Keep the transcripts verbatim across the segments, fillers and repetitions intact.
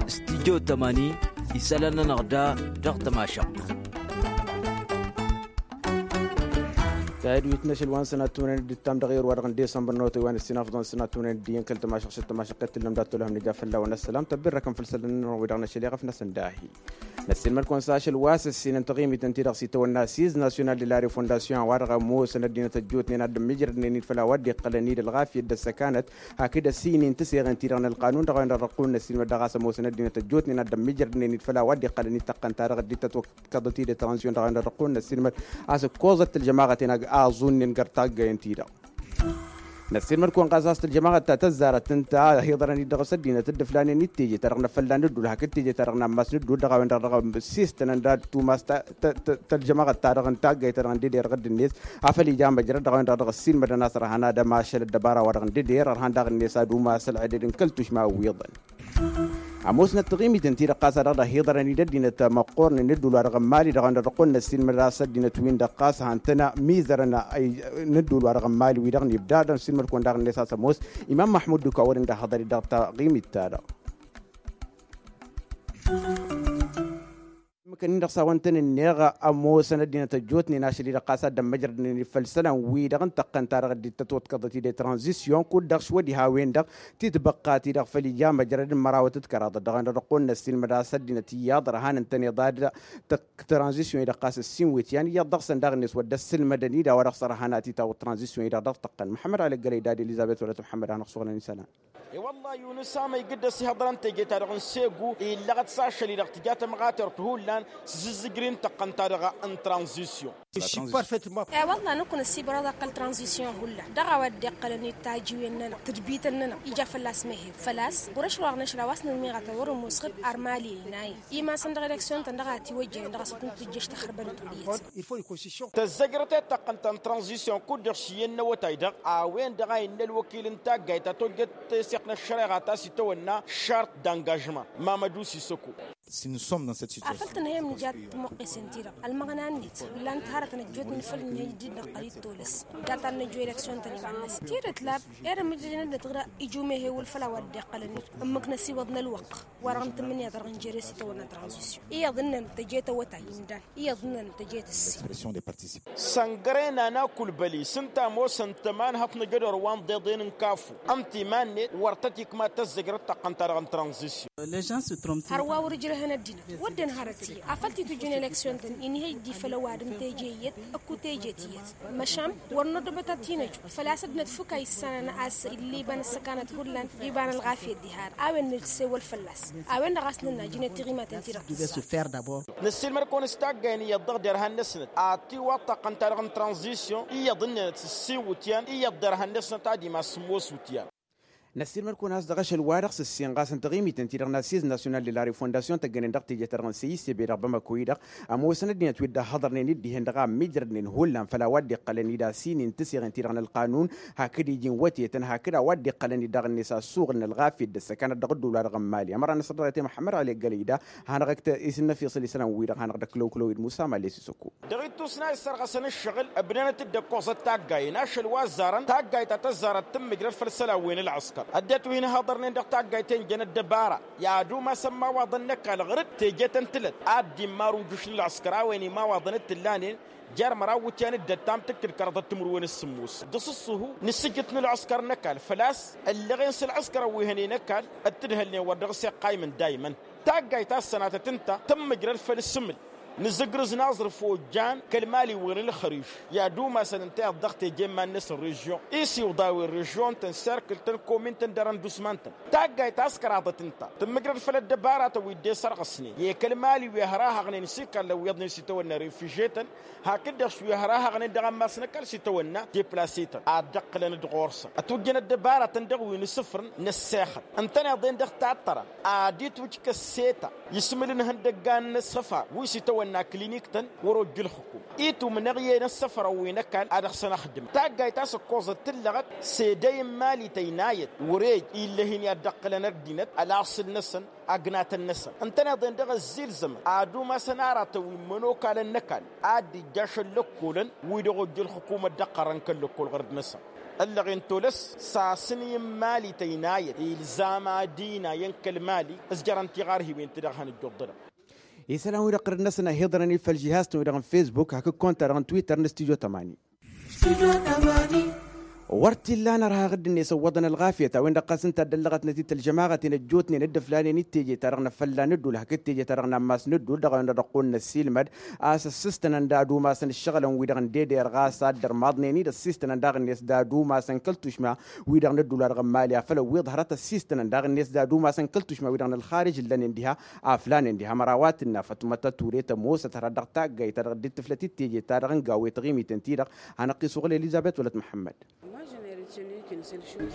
Stijjo tamani isălan-nănăɣ da dăɣ-tămašăɣt. Tayădwit n-ašăl wa n-sănat tunăn d-ǝttam dăɣ-erwa dăɣ-n desămbăr n-otăy wa n-ǝssin afḍăn sănat tunăn d-iyyăn kăl-tămašăɣt šăt tămašăɣt i-tǝllăm dat-tolhăm n-ija fălla-wăn ăssălam tăbbirrăkăm făll-isălan-nănăɣ wi-dăɣ n-ašăl iɣăf-năsăn dahi. Năssiilmăd-kăwăn s-ašăl wa s-ǝssinăn taɣimit ǝnta-i-dăɣ s-itawănna s-izz nasyonal de la refondasyon wa-dăɣ ămoosăn ăddinăt ăjjootnen ad-dd-ămmiijrădnen-dd făll-a-wa dd-iqqălăn-dd ălɣafyăt d-ăssăkanăt hakd ăssin-in tǝseɣen-ti-dăɣ n-ălqanun dăɣ-a-wen-dăɣ dăɣ-kăwăn-năssiilmăd dăɣ-a-s ămoosăn ăddinăt ăjjootnen ad-dd-ămmiijrădnen-dd făll-a-wa dd-iqqălăn-dd tăqqăn-ta-dăɣ dd-tătwăkkăḍăt-dd tranzisyon dăɣ-a-wen-dăɣ dăɣ-kăwăn-năssiilmăd a-s ǝkkoẓăt tǝlžămaɣăten a-s aẓunnen găr taggăyăn-ti-dăɣ. Năssiilmăd-kăwăn ɣas a-s tălžămaɣăt ta tăzzarăt ǝnta a hiḍărăn-dd dăɣ-s ăddinăt dd-ǝflanen d-teje-ta-dăɣ n-afălla n-ǝddul hakd teje-ta-dăɣ n-ammas n-ǝddul dăɣ-a-wen-dăɣ dăɣ-s s-tănăn d-ad-tumas ta tălžămaɣăt-ta-dăɣ n-taggayt-ta-dăɣ n-dede-dăɣ dd-net afăl ija măjrăd dăɣ-a-wen-dăɣ dăɣ-ăssiilmădăn a-s ărhan ad-ămašăl ăddăbara-wa-dăɣ n-dede-dăr ărhan daɣ-net ad-umas ălɣeded n-kăl-tušma wi-iyyăḍăn. Ămoosnăt taɣimit ǝnta-i-dăɣ ɣas a dăɣ-dd-ăhiḍărăn-dd ăddinăt măqqoornen n-ǝddul wa dăɣ-n mali dăɣ-a-wen-dăɣ dăɣ-kăwăn-năs silmăd a-s ăddinăt-win-dăɣ ɣas han-tăn-mizărăn n-ǝddul wa dăɣ-n mali wi-dăɣ n-ibda dăɣ-silmăd-kăwăn daɣ-net a-s ămoos imam măḥmud d-uka wăren d-ahăḍăr-i dăɣ-taɣimit-ta-dăɣ. Măkănnin-dăɣ s-a-wăn tăn-ǝnneɣ ămoosăn ăddinăt ăjjootnen ašăl-i-dăɣ ɣas a dd-ămmăjrădnen-dd făll-isălan-wi-dăɣ n-tăqqăn-ta-dăɣ dd-tătwătkăḍăt-dd i-tranzisyon kud-dăɣ s-wădih a-wen-dăɣ titbăqqa-ti-dăɣ făll-ija măjrăd n-mărawăt d-kăraḍăt dăɣ-a-wen-dăɣ dăɣ-kăwăn-năssiilmăd a-s ăddinăt iyyăḍ ărhan ǝntăneḍ ad-tranzisyon-i-dăɣ ɣas ǝssin wi t-yan iyyăḍ dăɣ-săn daɣ-net wăr dd-ăssǝlmădăn-dd a-wa dăɣ-s ărhan ad-t-itawăḍ tranzisyon-i-dăɣ dăɣ-tăqqăn măḥămmăd alăggălăy dad-elizăbet wăla t-măḥămmăd a hanăɣ-suɣǝlăn isălan. E-wălla-i unǝs a măygǝd-dăɣ s-ihăḍărăn teje-ta-dăɣ n-segu illăɣăt s-ašăl-i-dăɣ tǝja tămɣatert hullan s-zǝzzǝjri n-tăqqăn-ta-dăɣ n-tranzisyon. E-wălla-i năkk năssibărăḍ a kăl-tranzisyon hullan dăɣ-a-wa dd-iqqălăn-dd tajiwen-nănăɣ tǝdbităn-nănăɣ ija fălla-s meheb făl-a-s wăr-ăšrăwăɣ năšra wa s-nǝnniɣăt a wăr-ămoosxăb armali ăynayăn imasăn dăɣ-eleksyon-tăn dăɣ-a tiwăjjănen dăɣ-a-s ad-tǝjjăš taxărbănăt wăr-iyyăt. Tăzzăjrăt i-taqqăn ta n-tranzisyon kud-dăɣ s-iyyăn n-awătay-dăɣ a-wen-dăɣ a innă ălwăkil n-taggayt ta tojjăt teseɣt n-ăššăreɣa ta s-itawănna šart d-angažman. Mamădu sisăko. Afăl tǝnhăyăm nǝja tămoqqesen-ti-dăɣ ălmăɣna-net ǝllan-t hărătăn ăjjootnen făll-nǝhăy dd-năqqăl-dd tolăs data n-năjjo eleksyon-tăn iba-năsăn tidǝt lab. Ed ămǝjjăjăn ăddinăt ɣǝra ija umehewăl făll-a-wa dd-iqqălăn-dd ǝmmǝk năsiwăḍ n-ălwăqq wa-dăɣ n-tǝmmǝnǝya dăɣ-injere s-itawănna tranzisyon iyyăḍ ǝnnăn tăje tawătay imdan iyyăḍ ǝnnăn tăje tǝssin. Săngăre n-ana kulbăli s-ǝnta ămoosăn tămanhăḍt n-ajădor wa n-iḍeḍen n-kafu ǝnta iman-net wăr tăt-ikma tăzzăjrăt taqqăn-ta-dăɣ n-tranzisyon. Hărwa wăr-ǝjrăhăn ăddinăt wădden hărăt iyyăt afăl titujjăn eleksyon-tăn inhăy dd-ifăl ăwadǝm teje iyyăt ǝkku teje tiyyăt. Măšan wăr nodăbăt ad-t-inăju făl-a-s ăddinăt fǝk a issanăn a-s illa iba n-ăssăkanăt hullan d-iba n-ălɣafyăt diha-dăɣ a-wen nǝssewăl fălla-s. A-wen-dăɣ a-s nǝnna jinăt tiɣimaten-ti-dăɣ tǝssan. Năssiilmăd-kăwăn s-taggay n-iyyăḍ dăɣ-derhan n-ăsnăt ad-tiwaḍ taqqăn-ta-dăɣ n-tranzisyon iyyăḍ ǝnnenăt s-ǝssin wǝtyan iyyăḍ derhan n-ăsnăt ad-imas sǝmmos wǝtyan. Năssiilmăd-kăwăn a-s dăɣ-ašăl-wa-dăɣ s-ǝssin ɣas n-taɣimit-en-ti-dăɣ n-assiz nasyonal de la refondasyon tăggănen dăɣ-teje-ta-dăɣ n-seyis ebe dăɣ-bamako-i-dăɣ ămoosăn ăddinăt wi dd-ăhhăḍărnen-dd dihen-dăɣ a ămmiijrădnen hullan făll-a-wa dd-iqqălăn-dd a-s inin tǝseɣen-ti-dăɣ n-ălqanun hakd iji n-wătetăn hakd a-wa dd-iqqălăn-dd daɣ-net asuɣǝl n-ălɣafyăt d-ăssăkanăt dăɣ-ădduul-wa-dăɣ n-mali ămăra n-asărdăɣ i-te măḥămmăd ăli ăggălăy da. Hanăɣ-ăkk isǝnnăfiṣǝl isălan-wi-dăɣ hanăɣ-dd-ăkk lăwkǝlăw-dd musa mali s-isăkku. Dăɣ-ittus n-a issărɣăsăn ǝššăɣǝl ǝbnănăt-dd ăkkoẓăt taggay n-ašăl wa ăzzarăn taggayt ta tăzzarăt tǝmmǝjrăd făll-isălan wi n-ălɣăskăr ăddinăt wi n-ihaḍărnen dăɣ-taggayt i-ǝnjăn ăddăbara. I-ad-umasăn imawaḍăn n-ăkall ɣur-dd teje-tăn tǝlăt ad-dd-immar ujǝš n-ălɣăskăr a-wen imawaḍăn d-t-ǝllanen jer-măraw iwǝtyan d-ăttam tǝkkǝd kăraḍăt timǝrwen s-sǝmmos dăɣ-s ǝṣṣuhu n-asǝjjǝt n-ălɣăskăr n-ăkall făl-a-s ǝllăɣen s-ălɣăskăr ăwwihănen ăkall d-tǝdhălnen wăr dăɣ-s iqqaymǝn dayman. Taggayt ta s-sănatăt ǝnta tǝmmǝjrăd făll-isǝmǝl nǝzǝgrǝz n-aẓrǝf ojjan kăl-maliwen n-ǝlxăriž i-ad-umasăn ǝnta iyyăḍ dăɣ-teje n-iman-năsăn režyon isiwḍawen režyon-tăn serkǝl-tăn komin-tăn d-arăndusman-tăn. Taggayt ta s-kăraḍăt ǝnta tǝmmǝjrăd făll-ăddăbaratăn wi dd-e-sărɣăsnen i-kăl-mali wi hărahăɣnen s-ikallăn wi iyyăḍnen s-itawănna refiže-tăn hakd-dăɣ wi hărahăɣnen dăɣ-ammas n-ăkall s-itawănna deplase-tăn ad-dd-ǝqqǝlăn d-ɣur-săn ătwǝjjăn ăddăbaratăn dăɣ-wi n-asǝfrǝn n-ăssexăt ǝntăneḍ-en dăɣ-tattărăn ad-itwǝj kăsseta ismǝl n-ihăndăggan n-asăfar wi s-itawănna. Ănna klinik-tăn wăr-ojja ǝlxǝkum itumnăɣ i-en ăssăfrăn wi n-ăkall ad-dăɣ-săn ăxdǝmăn taggayt ta s-ǝkkoẓăt tǝllăɣăt. S-edăy n-imali tăynayăt wăr-ej illăh-in i-ad-dd-ăqqǝlăn ăddinăt ălaṣǝl-năsăn. Agnatăn-năsăn ǝntăneḍ-en dăɣ-ăzzilzămăn ad-umasăn aratăn wi n-imănokalăn n-ăkall ad-dd-ijjaš ăllăkkolăn wi-dăɣ ojja ǝlxǝkum ăddăqqărăn kăl-lăkkol ɣărd-năsăn. Ǝllăɣen tolăs s-asǝnǝy n-imali tăynayăt ilzam ad-inayăn kăl-mali s-jărăn tiɣarhiwen ti-dăɣ hanăjjoḍ-dăɣ. Isălan-wi-dăɣ ɣărd-năsăn ăhiḍărăn-dd făll-žihaz-tăn-wi-dăɣ n-fesbuk hakd konta-dăɣ n-twitter n-studyo tămani. Wăr t-illa a nărha ɣǝdd-net ăwwăḍăn ălɣafyăt a-wen-dăɣ ɣas ǝnta a dd-ăllăɣătnăt-dd tălžămaɣăten ăjjootnen dd-ǝflanen-dd teje-ta-dăɣ n-afălla n-ăddul hakd teje-ta-dăɣ n-ammas n-ăddul dăɣ-a-wen-dăɣ dăɣ-kăwăn-năssiilmăd a-s ăssistănăn d-ad-umasăn ǝššăɣǝlăn-wi-dăɣ n-dede-dăɣ ɣas a dd-ărmaḍnen-dd ăssistănăn daɣ-net d-ad-umasăn kăl-tušma-wi-dăɣ n-ăddul wa dăɣ-n mali afăl ăwwiḍ hărăt ăssistănăn daɣ-net d-ad-umasăn kăl-tušma-wi-dăɣ n-ălxarij ǝllănen diha. Aflanen diha ămăra a-wa tǝnna fătmăt ăturet ămoosăt hărăt dăɣ-taggayt-ta-dăɣ dd-tǝflăt-dd teje-ta-dăɣ n-gawe taɣimiten-ti-dăɣ. Hanăɣ-t-isuɣǝl elizăbet wălăt muḥămmăd.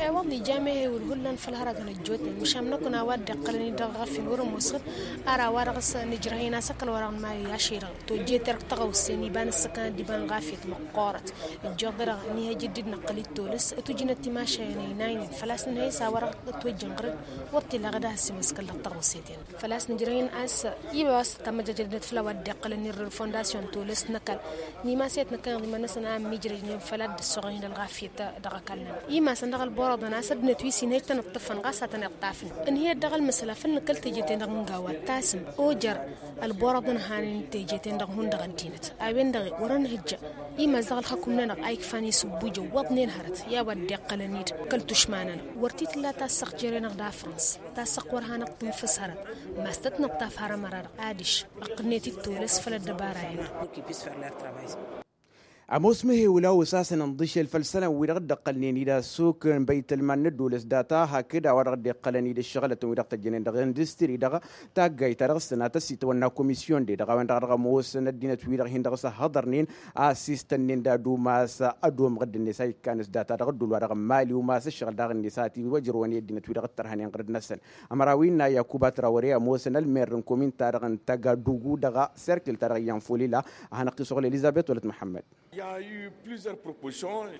Iwăḍ ija mehe wăr hullan făll-hărătăn ăjjootnen măšan năkk n-a-wa dd-iqqălăn-dd dăɣ-ɣafin wăr-ămoosăt. Ara a-wa-dăɣ s-nǝjrăh-in asăkkăl wa-dăɣ n-mali ašăy-dăɣ tojje-te-dăɣ tăɣawse n-iba n-ǝssǝkăn d-iba n-ɣafyăt măqqoorăt. Ǝjjoḍ-dăɣ n-ihăjj dd-năqqăl-dd tolăs tǝjǝnăt timašayen ăynaynen făl-a-s nǝnhăy s-a-wa-dăɣ ătwăjjăn ɣǝrǝd. Wăr t-illa ăɣǝd a has-imǝskăl dăɣ-tăɣawse-ten făl-a-s nǝjrăh-in a-s iba wa s-tămăjjăjădnet făll-a-wa dd-iqqălăn irrǝr fondasyon tolăs n-ăkall n-imasăyăt n-ăkall iḍǝmăn-năsăn a ămmiijrăjnen făll-a dd-ăssoɣăn-in ălɣafyăt. Dăɣ-ăkall-nănăɣ imasăn dăɣ-ălborăḍăn a-s ăddinăt wi s-inhăj tăn-ǝṭṭǝfăn ɣas a tăn-iṭṭafăn. Ǝnhăyăt dăɣ-ălmǝsăla făll-nǝkkăl teje-ten-dăɣ n-gawa tasǝm ojer ălborăḍăn hanen teje-ten-dăɣ hundăɣ ăddinăt a-wen-dăɣ wăr-ănhǝjja. Imas dăɣ-ălxăkum-nănăɣ a ikfan isǝbbujăw wăḍnen hărăt i-a-wa dd-iqqălăn-dd kăl-tušma-nănăɣ. Wăr t-tǝlla tassăɣt jere-năɣ d-afrăns tassăɣt wăr hanăɣ-tǝnfǝs hărăt. Mas tăt-nǝṭṭaf har ămăra-dăɣ adiš ăqqǝlnet-dd tolăs făll-ăddăbara-en-dăɣ. Ămoos măhewǝl a osasăn ǝnḍǝšel făll-isălan-wi-dăɣ dd-ăqqălnen-dd asuk n-băytălman n-ăddolăs data hakd a-wa-dăɣ dd-iqqălăn-dd ǝššăɣǝlătăn-wi-dăɣ tăjjănen dăɣ-industri-dăɣ. Taggayt-ta-dăɣ s-tănat ăssitawănna komisyon-de-dăɣ a-wen-dăɣ a dăɣ-ămoosăn ăddinăt-wi-dăɣ hin-dăɣ s-ăhhăḍărnen a ăssistănnen d-ad-umas ad-omăɣ dd-net a ikkan s-data dăɣ-ăddul wa dăɣ-n mali umas ǝššăɣǝl daɣ-net a ătiwăjrăwăn i-ăddinăt-wi-dăɣ ǝttărhănen ɣǝrǝd-năsăn. Ămăra wi n-a yakuba trawăre ămoosăn ălmer n-komin-ta-dăɣ n-tagadugu dăɣ-serkǝl-ta-dăɣ n-yanfolila. A hanăɣ-t-isuɣǝl elizăbet wălăt muḥămmăd. I-a eu plusieurs propositions.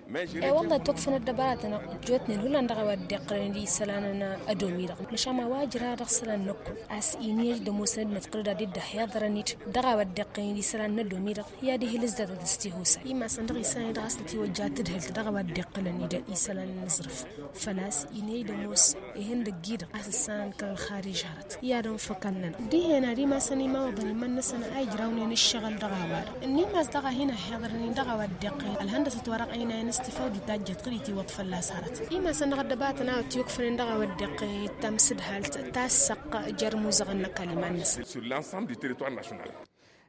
E-wălla ătwăkfăn ăddăbăratăn ăjjootnen hullan dăɣ-a-wa dd-iqqălăn d-isălan n-ădomi-dăɣ măšan ma wa ǝjrăh dăɣ-isălan n-ăkkull a-s inhăj d-ămoosăn ăddinăt ɣǝrǝd ad-dd-ăhhiḍărăn-dd dăɣ-a-wa dd-iqqălăn d-isălan n-ădomi-dăɣ. I-ad-ihǝl ǝzdatăt s-tihusay imasăn dăɣ-isălan-i dăɣ-a-s tătiwăjja tǝdhǝlt dăɣ-a-wa dd-iqqălăn-dd isălan n-aẓrǝf. Făl-a-s inhăj d-ămoos ihăndăgg-i-dăɣ a-s ǝssanăn kăl-ălxarij hărăt i-ad-ănfăkăn-nănăɣ dihen ad-imasăn imawăḍăn iman-năsăn a ijrawnen ǝššăɣǝl dăɣ-a-wa-dăɣ ǝnnimas daɣ a hin-ăhhiḍărnen dăɣ-a-wa dd-iqqăyăn ălhăndăsăt wa dăɣ-ăynayăn s-tifawdit tajjăt ɣǝd-i tiwăḍ fălla-s hărăt. Imasăn dăɣ-ăddăbatăn a ătwǝkfănen dăɣ-a-wa dd-iqqăyăn d-tamsǝdhalt tassăɣt jer-imuzăɣăn n-ăkall iman-năsăn. Sur l'ensemble du territoire national.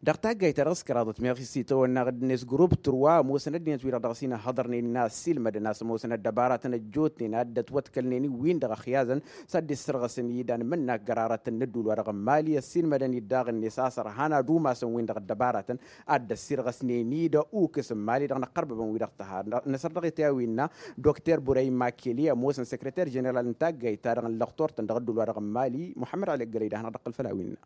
Dăɣ-taggayt-ta-dăɣ s-kăraḍăt meɣ isitawănna ɣǝdd-net grup turwa ămoosăn ăddinăt-wi-dăɣ dăɣ-s-in-ăhhăḍărnen n-a ăssiilmădăn a-s ămoosăn ăddăbaratăn ăjjootnen a dd-ătwătkălnen-in-win-dăɣ ăxyazăn s-ad-dd-issărɣăsăn-i d-anmǝnnak gărarătăn n-ădduul-wa-dăɣ n-mali ăssiilmădăn-dd daɣ-net a-s ărhan ad-umasăn-win-dăɣ ăddăbaratăn ad-dd-ăssirɣăsnen-dd ukǝs n-mali-dăɣ năqqărbăbăn-wi-dăɣ tăha. Năsăr dăɣ-e-t i-a-winna dokter burăy makeli ămoosăn săkrăter ženeral n-taggayt-ta-dăɣ n-lăxtor-tăn dăɣ-ădduul-wa-dăɣ n-mali muḥămmăd ali ăggălăy d-ad-hanăɣ-dd-ăqqǝl făll-a-winna.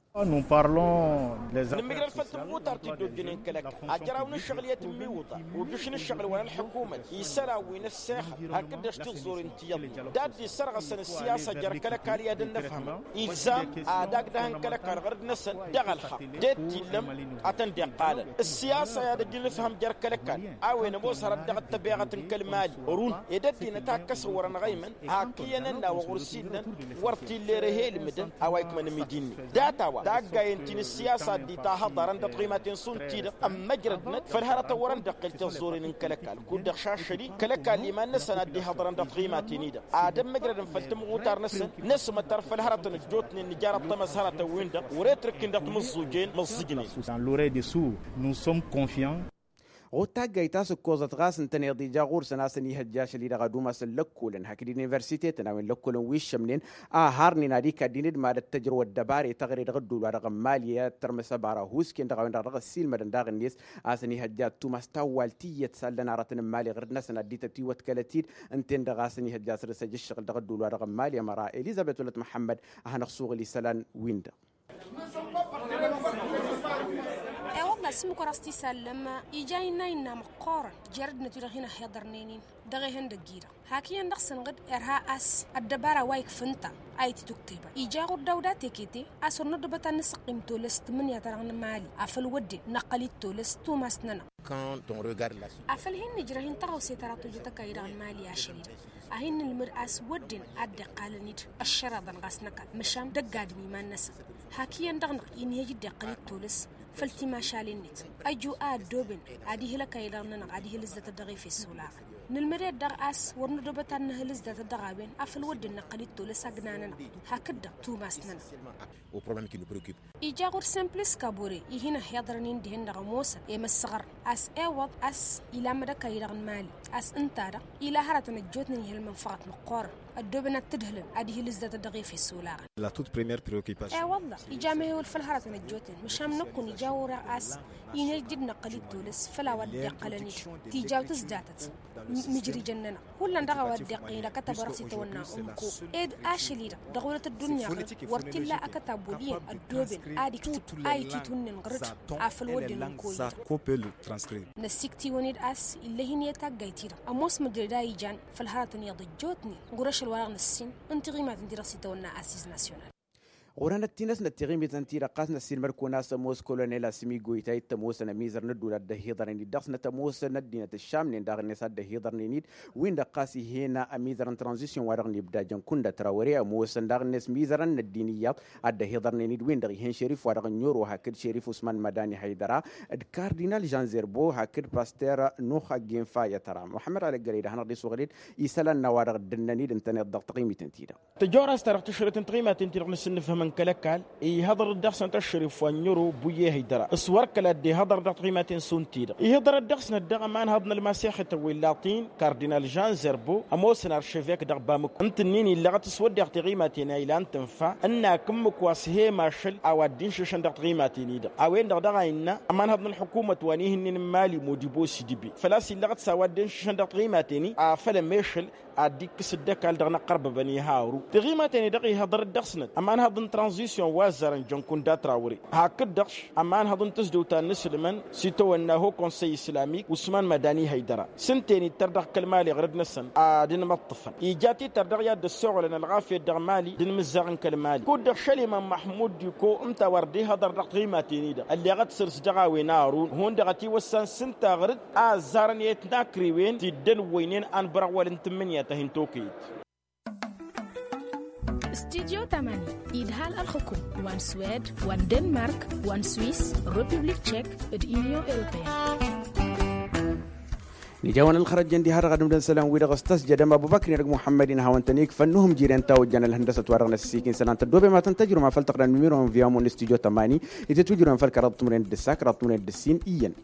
Nǝmmǝjrăd făll-tǝmɣutar ti dd-ojjănen kăl-ăkall ajraw n-ǝššăɣǝl i-ad-tǝmmiwǝḍa ujǝš n-ǝššăɣǝl wa n-ălḥukumăt isălan wi n-ăssexăl hakd-dăɣ s-tiẓẓuren ti iyyăḍnen d-ad-dd-issărɣăsăn ǝssiyasa jer-kăl-ăkall i-ad-ănnăfhămăn. Ilzam ad-agdăhăn kăl-ăkall ɣărăd-năsăn dăɣ-ălxaqq d-e-t-illăm ad-tăn-dd-iqqalăn ǝssiyasa i-ad-ăj n-ǝfhăm jer-kăl-ăkall a-wen ămoos hărăt dăɣ-ăttăbeɣăt n-kăl-mali. Ărun ed ăddinăt a ǝkkăsăn wăr-ănɣăymăn hak iyyăn ănn-a-wa ɣur-s illăn wăr t-illa erăh i-ilmǝdăn a-wa ikmăn ămidi-net. Data-wa taggayen ti n-ǝssiyasa dd-itahăḍarăn dăɣ-tiɣimaten šund-ti-dăɣ ămmăjrădnăt făll-hărătăn wăr-ănḍăqqel tiẓẓuren n-kăl-ăkall kud-dăɣ šašăl-i kăl-ăkall iman-năsăn ad-dd-ihăḍrăn dăɣ-tiɣimaten-i-dăɣ ad-ămmăjrădăn făll-tǝmɣutar-năsăn. Năsmătăr făll-hărătăn ăjjootnen nǝjar ăṭṭămăs hărătăn-win-dăɣ wăr-e t-rǝkkǝn dăɣ-timǝẓẓujen măẓẓǝjnen. Dans l'oreille de sourd nous sommes confiants. Ɣud taggayt ta s-ǝkkoẓăt ɣas ǝntăneḍ ija ɣur-săn a-s ănihăjja ašăl-i-dăɣ ad-umasăn lăkkolăn hakd iniversitetăn a-wen lăkkolăn wi ǝššămnen a harnen ad-ikaddin d-mad-ăttăjrăw ăddăbare tăɣre dăɣ-ăddul wa dăɣ-n mali ad-tărmǝs ăbara husken dăɣ-a-wen-dăɣ dăɣ-ăssiilmădăn daɣ-net a-s ănihăjja ad-tumas tawwalt iyyăt s-allăn aratăn n-mali ɣǝrǝd-năsăn ad-dd-tătiwătkălăt-dd. Ǝnta-en-dăɣ a-s ănihăjja a-s dd-săj ǝššăɣǝl dăɣ-ăddul wa dăɣ-n mali ămăra elizăbet wălăt muḥămmăd. A hanăɣ-suɣǝl isălan-win-dăɣ. Asǝmmǝk wăr-as t-isallăm ija innă innă măqqoorăn jer-ăddinăt wi-dăɣ hin-ăhhiḍărnen-in dăɣ-ehăndăgg-i-dăɣ hak iyyăn dăɣ-săn ɣǝd irha a-s ăddăbara wa ikfǝnta a ititǝktebăn ija ɣur-dawda tekete a-s wăr năddobăt ad-nǝsǝqqim tolăs tǝmmǝnǝya-ta-dăɣ n-imali afăl wădden năqqăl-dd tolăs tumas-nănăɣ. Afăl hin-nǝjrăh-in tăɣawse ta dăɣ-tojăt ăkall-i-dăɣ n-imali ašăl-i-dăɣ a hin-nǝlmǝd a-s wădden a dd-iqqalăn-dd ăššăreḍăn ɣas n-ăkall măšan d-ăgg-adǝm iman-năsăn hak iyyăn dăɣ-năɣ inhăj dd-iqqăl-dd tolăs făll-timašalen-net ăju a ăddooben ad-ihǝl ăkall-i-dăɣ-nănăɣ ad-ihǝl ǝzzatăt dăɣ-efes olaɣăn nǝlmăd-ed-dăɣ a-s wăr nădobăt ad-nǝhǝl ǝzzatăt dăɣ-a-wen afăl wădden năqqăl-dd tolăs agna-nănăɣ hakd-dăɣ tumas-nănăɣ. Ija ɣur-sănplis kabore ih'-in ăhhiḍărăn-in dihen-dăɣ ămoosăn i-măssăɣăr a-s ewăḍ a-s ilammăd ăkall-i-dăɣ n-imali a-s ǝnta-dăɣ ila hărătăn ăjjootnen ihălmăn făɣăt măqqoorăn ăddooben ad-t-ǝdhǝlăn ad-ihǝl ǝzzatăt dăɣ-efes olaɣăn. Ewălla ija mehewăl făll-hărătăn ăjjootnen măšan năkkun ija ɣur-e a-s inăjj dd-năqqăl-dd tolăs făll-a-wa dd-iqqălăn-dd tijawt ǝzdatăt mǝjrijăn-nănăɣ hullan dăɣ-a-wa dd-iqqălăn-dd akătab wa dăɣ-s itawănna umko ed ašăl-i-dăɣ dăɣ-wălăt ăddunya ɣǝrǝd wăr t-illa akătab wăl' iyyăn ăddooben ad-iktǝb a ititwǝnnen ɣǝrǝd afăl wădden umko-i-dăɣ. Năssikt'-iwăn-dd a-s ill'-e-hin i-taggayt-i-dăɣ ămoos măjrăd a ijan făll-hărătăn iyyăḍ ăjjootnen ɣur-ašăl wa dăɣ-năssin n-tiɣimaten ti-dăɣ s-itawănna asis nasyonal. Ɣur-enăt tinăsnăt tiɣimiten-ti-dăɣ ɣas năssiilmăd-kăwăn a-s ămoos kolonel asǝmigoyta ittămoosăn ămizăr n-ădduul a dd-ăhiḍărnen-dd dăɣ-snăt ămoosăn ăddinăt ǝššamnen daɣ-net a dd-ăhiḍărnen-dd win-dăɣ ɣas ih'-en ămizăr n-tranzisyon wa dăɣ-nibda jănkun d-ătrawăre ămoosăn daɣ-net mizărăn n-ăddin iyyăḍ a dd-ăhiḍărnen-dd win-dăɣ ih'-en šerif wa dăɣ-ănnioro hakd šerif usman mădani hăydăra d-kardinal žan zerbo hakd paster nuh ăggenfa i-ătăra muḥămmăd alăggălăy-dd a hanăɣ-dd-isuɣǝl-dd isălan n-a-wa dăɣ-dd-ǝnnăn-dd ǝntăneḍ dăɣ-taɣimiten-ti-dăɣ. Tăjorăst-ta-dăɣ tǝšrǝt n-taɣimaten-ti-dăɣ n-asǝnnǝfhăm n-kăl-ăkall ihăḍăr-dd dăɣ-săn tăšrǝf wa n-ero buye hăydăra s-wăr kăla dd-ihăḍăr dăɣ-taɣimaten šund-ti-dăɣ ihăḍăr-dd dăɣ-snăt dăɣ-ămanhăḍ n-ălmasex itawăy laṭin kardinal žan zerbo ămoosăn arševek dăɣ-bamǝko ǝntǝnnin illăɣăt s-wădden taɣimaten a ilan tǝnfa ǝnnak ǝmmǝk wa s-he-mašăl a-wa dd-inšǝšăn dăɣ-taɣimaten-i-dăɣ a-wen-dăɣ daɣ a innă ămanhăḍ n-ălḥukumăt wa n-ihǝnnin n-imali modibo s-idǝbe făl-a-s illăɣăt s-a-wa dd-inšǝšăn dăɣ-taɣimaten-i afăl ămešăl ad-dd-ikkǝs dd-ăkall dăɣ-inăqqărbăbăn iharu tiɣimaten-i-dăɣ ihăḍăr-dd dăɣ-snăt ămanhăḍ n-tranzisyon wa ăzzarăn jănkun d-atrawre hakd-dăɣ ămanhăḍ n-tǝzdǝwt a n-inǝslǝmăn s-itawănna ho konsăy islamik usman mădani hăydăra s-ǝnta-en ittăr dăɣ-kăl-mali ɣărăd-năsăn ad-inmăṭṭăfăn ija tităr dăɣ-i ad-dd-ăssoɣălăn ălɣafyăt dăɣ-mali d-inmǝzzaɣ n-kăl-mali kud-dăɣ šăliman măḥmud d-iko ǝnta a wăr dd-ihăḍăr dăɣ-tiɣimaten-i-dăɣ ălleɣăt săr-s dăɣ-a-wen arun hundăɣ ătiwăssan s-ǝnta ɣǝr-dd a ăzzarăn i-tnakriwen ti dd-ălwăynen anbărăɣ wăl-ǝntǝmmǝnǝya ta hin-tokăyăt. Studyo tamani idhal ălxǝkum wa n-swed wa n-denmark wa n-swis, republik tšek d-inyon europeyăn. Nǝja-wăn ălxărăjjăn diha-dăɣ ad-ǝmdăn isălan-wi-dăɣ s-tăsjădăm abubăkr-in dăgg-muḥămmăd-in hawăn-tăn-ikfăn n-uhǝm jiren tawăjjan ălhăndăsăt wa dăɣ-năssiik-in isălan tăddoobem ad-tăn-tăjrǝwăm afăl tăɣdăn numiro n-viya-mon n-studyo tamani. Itǝtwǝjrǝwăm făll-kăraḍăt timǝrwen d-ǝssa kăraḍăt timǝrwen d-ǝssin iyyăn.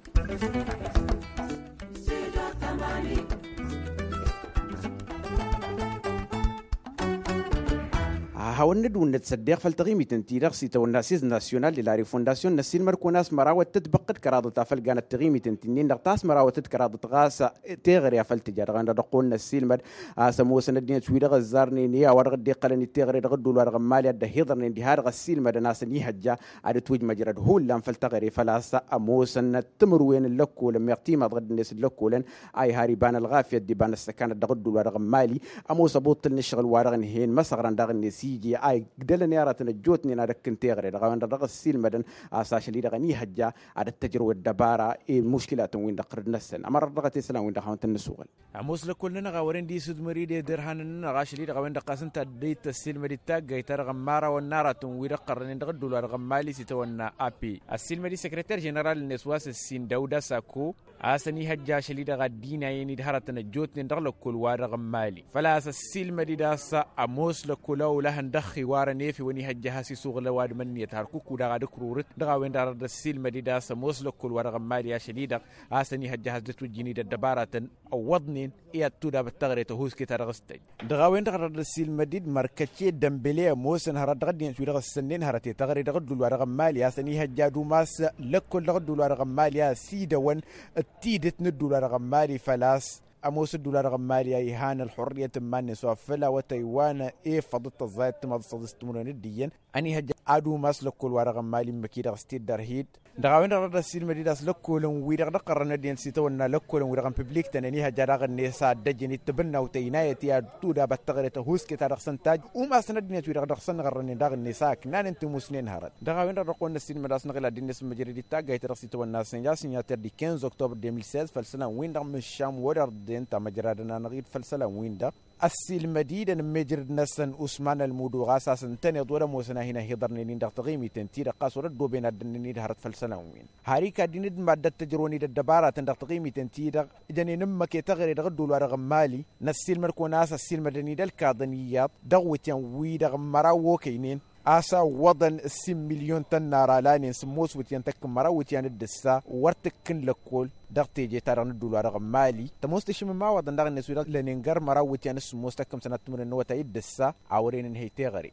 Hawăn-nǝdwǝnnăt s-ăddeɣ făll-taɣimit ǝnta-i-dăɣ s-itawănna asiz nasyonal de la refondasyon n-ăssiilmăd-kăwăn a-s măraw d-tǝtbăqqǝd kăraḍăt afăl ganăt taɣimit ǝnta-i-nin-dăɣ ta s-măraw d-tǝtbăqqǝd kăraḍăt ɣas teɣăre afăl tǝja dăɣ-en dăɣ-ăqqoon n-ăssiilmăd a-s ămoosăn ăddinăt-wi-dăɣ ăzzarnen i-a-wa dăɣ-dd-iqqălăn i-teɣăre dăɣ-ădduul wa dăɣ-ămmali a dd-ăhiḍărnen diha-dăɣ ăssiilmădăn a-s ănihăjja ad-ǝtwǝjmăjrăd hullan făll-teɣăre făl-a-s ămoosăn timǝrwen n-lăkkolăn meɣ timaḍ ɣǝddǝnet n-lăkkolăn a iha ar iba n-ălɣafyăt d-iba n-ăssăkanăt dăɣ-ădduul wa dăɣ-ămmali. Ămoos ăbuṭṭǝl n-ǝššăɣǝl wa dăɣ-ǝnhăyăn măsăɣran daɣ-net iji a igdălăn i-aratăn ăjjootnen ad-ăkk n-teɣăre dăɣ-a-wen-dăɣ dăɣ-ăssiilmădăn a-s ašăl-i-dăɣ ănihăjja ad-ăttăjrăw ăddăbara i-muškilatăn-win-dăɣ ɣǝrǝd-năsăn ămărăt dăɣ-t isălan-win-dăɣ hawăn-tăn-nǝsuɣǝl. Ămoos lăkkol-nănăɣ a wărăn dd-isǝdmăr-dd i-derhanăn-nănăɣ ašăl-i-dăɣ a-wen-dăɣ ɣas ǝnta a dd-ăyy tăssiilmăd-dd taggayt-ta-dăɣ n-imărawăn n-aratăn wi-dăɣ ɣărrănen dăɣ-ădduul wa dăɣ-ămmali s-itawănna a p ăssiilmăd-dd săkrăter ženeral-net wa s-ǝssin dawda sako a-s ănihăjja ašăl-i-dăɣ a dd-inayăn-dd hărătăn ăjjootnen dăɣ-lăkkol wa dăɣ-ămmali făl-a-s ăssiilmăd-dd a-s ămoos lăkkol a olăhăn dăɣ-xiwarăn efew ănihăjja a has-isuɣǝl ăwadǝm ǝnniyăt hărkuk-u-dăɣ ad-ǝkrurǝt dăɣ-a-wen-dăɣ a dăr-dd-ăssiilmăd-dd a-s ămoos lăkkol wa dăɣ-ămmali ašăl-i-dăɣ a-s ănihăjja a has-dd-ătwǝjjǝn-dd ăddăbaratăn ăwwăḍnen i-ad-tudabăt taɣret ăhuusket ta dăɣ-s tăjj. Dăɣ-a-wen-dăɣ a dăr-dd-ăssiilmăd-dd mărkăce dămbele ămoosăn hărăt dăɣ-ăddinăt wi dăɣ-ǝssănnen hărăt i-taɣre dăɣ-ădduul wa dăɣ-ămmali a-s ănihăjja ad-umas lăkkol dăɣ-ădduul wa dăɣ-ămmali a ăsidăwăn d-tidǝt n-ădduul wa dăɣ-ămmali făl-a-s ămoos ădduul wa dăɣ-ămmali a ihan ălxurriyăt n-iman-net wa făl awătay wa n-efăḍ d-tăẓẓayăt timaḍ d-săḍis timǝrwen d-iyyăn. Ănihăjja ad-umas lăkkol wa dăɣ-ămmali ǝmmǝk-i-dăɣ s-tiddărhid. Dăɣ-a-wen-dăɣ dăɣ-dd-ăssiilmăd-dd a-s lăkkolăn-wi-dăɣ dăɣ-tărrăn ăddinăt s-itawănna lăkkolăn-wi-dăɣ n-piblik tănăn ihăjja daɣ-net a ăddăjjăn d-tibǝnnawt ăynayăt i-ad-tudabat taɣret ăhuusket-ta-dăɣ s-ǝntaj. Umasăn ăddinăt-wi-dăɣ dăɣ-săn ɣărrănen daɣ-net a ǝknanen timusnen hărăt. Dăɣ-a-wen-dăɣ dăɣ-kăwăn-năssiilmăd a-s năɣǝla dd-net n-măjrăd d-taggayt-ta-dăɣ s-itawănna sănja sǝnyater di kinz oktober de mil sez făll-isălan-win-dăɣ mǝššam wăr-irden tamăjradăn-anăɣ-dd făll-isălan-win-dăɣ. Ăssiilmăd-i-dăn n-mejrăd-năsăn usman ălmudu ɣas a-s ǝntăneḍ wăr-ămoosăn a hin-ăhiḍărnen-in dăɣ-taɣimiten-ti-dăɣ ɣas wăr-ăddooben ad-dd-ǝnnǝn-dd hărăt făll-isălan-win. Har ikadd-in d-maddăt tǝjrăwăn-dd ăddăbaratăn dăɣ-taɣimiten-ti-dăɣ ǝjăn-in ǝmmǝk i-taɣre dăɣ-ădduul-wa-dăɣ n-mali. Năssiilmăd-kăwăn a-s ăssiilmădăn-dd ălkaḍăn iyyăḍ dăɣ-iwǝtyan wi-dăɣ n-măraw okăynen a-s a ǝwwăḍăn ǝssin milyon tănnar alanen sǝmmos iwǝtyan tăkk n-măraw iwǝtyan d-ǝssa wăr tǝkkǝn lăkkol. Dăɣ-teje-ta-dăɣ n-ădduul-wa-dăɣ n-mali tămoos tǝššǝm imawaḍăn daɣ-net wi-dăɣ lănen găr măraw iwǝtyan d-sǝmmos tăkk n-sănat timǝrwen n-awătay d-ǝssa. A wăren ǝnhăy teɣăre.